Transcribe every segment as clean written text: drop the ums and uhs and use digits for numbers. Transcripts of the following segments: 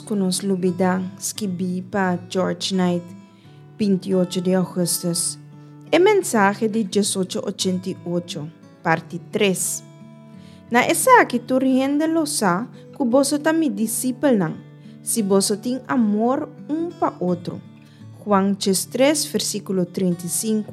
ku nos lubidá, skibí pa George Knight, 28 di ougùstùs. E mensahe di diesocho ochenta i ocho, parti tres. Na esaki tur hende lo sa ku boso ta mi disipelnan, si boso tin amor un pa otro. Juan 13, versíkulo 35.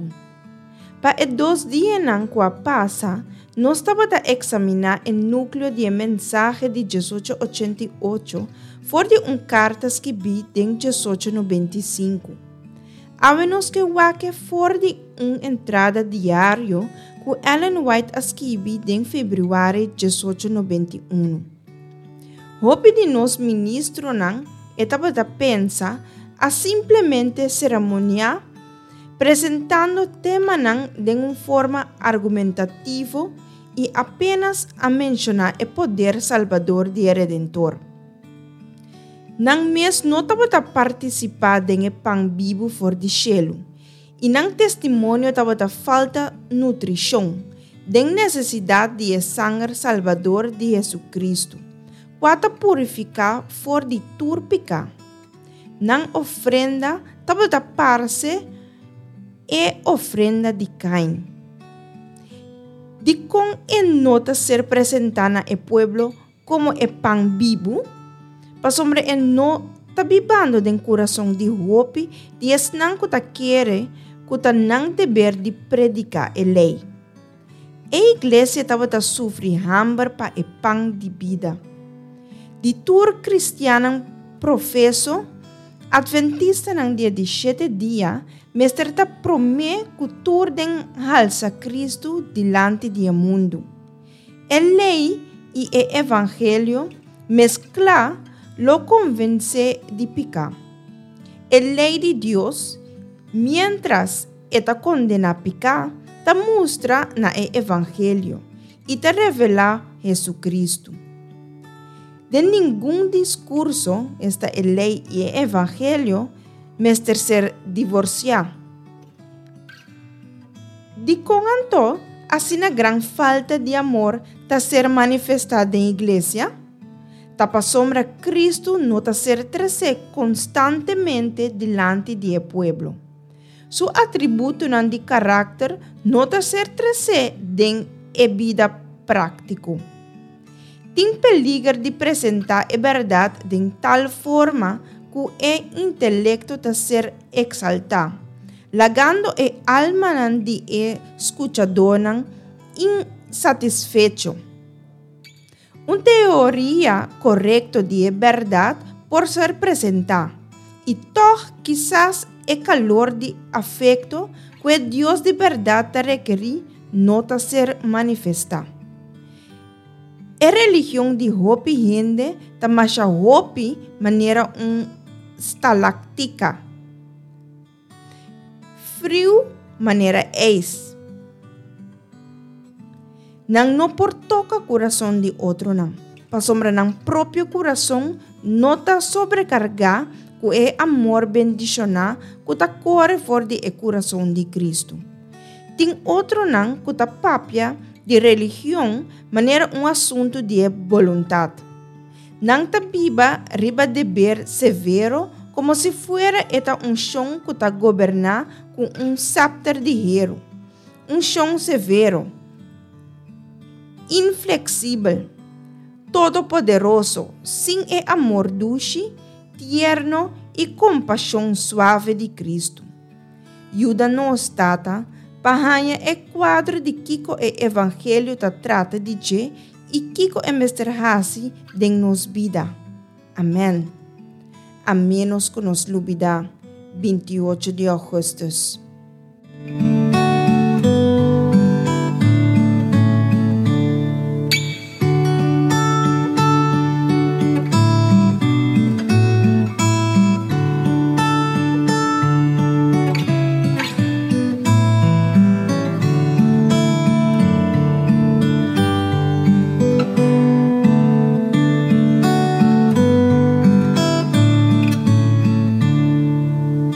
Pa e dos dianan ku a pasa, nos tabata eksaminá e núkleo di e mensahe di 1888 for di un karta skibí den 1895. Awe nos ke wak e for di un entrada diario ku Ellen White a skibi den febrüari 1891. Hopi di nos ministronan, e tabata pensa, a simplemente seremoniá presentando temanan den un forma argumentativo i apenas a menshoná e poder salbador di e Redentor. Nan mes no tabata partisipá den e pan bibu for di shelu, i nan testimonio tabata falta nutrishon, den nesesidat di e sanger salbador di Hesukristu, kua ta purifiká for di tur piká. Nan ofrenda tabata parse e ofrenda di Kain. Dikon e no ta ser presentá na e pueblo komo e pan bibu? Pasobra e no ta bibando den kurason di hopi di esnan ku ta kere ku ta nan deber di prediká e lei. E iglesia tabata sufri hamber pa e pan di bida. Di tur kristiannan profeso, Atventistanan di e di shete dia mester ta promé ku tur den halsa Kristu dilanti di e mundu. E lei i e evangelio mesklá lo konvensé di piká. E lei di Dios, miéntras E ta kondená piká, ta mustra na e evangelio i ta revelá Hesukristu. Den ningun diskurso, esta e lei i e evangelio, mester ser divorsiá. Dikon anto asina gran falta di amor ta ser manifestá den iglesia? Ta pasobra Kristu no ta ser tresé konstantemente dilanti di e pueblo. Su atributonan di karakter no ta ser tresé den e bida práktiko. Tin peliger di presentá e bèrdat den tal forma ku e intelekto ta ser eksaltá, lagando e almanan di e skuchadónan insatisfecho. Un teoria korekto di e bèrdat por ser presentá, i tòg kisas e kalor di afekto ku e Dios di bèrdat ta rekerí no ta ser manifestá. E religion di hopi hende ta masha hopi manera un stalaktika. Friu manera ijs. Nan no por toka kurason di otronan, pasobra nan propio kurason no ta sobrekargá ku e amor bendishoná ku ta kore for di e kurason di Kristu. Tin otronan ku ta papia di religion manera un asuntu di e boluntat. Nan ta biba riba deber severo komo si fuera e ta un shon ku ta goberná ku un sèpter di heru, un shon severo, infleksibel, todopoderoso, sin e amor dushi, tierno i kompashon suave di Kristu. Yuda nos, Tata, pa haña e kuadro di kiko e evangelio ta trata di dje i kiko e mester hasi den nos bida. Amèn. A ménos ku nos lubidá, 28 di ougùstùs.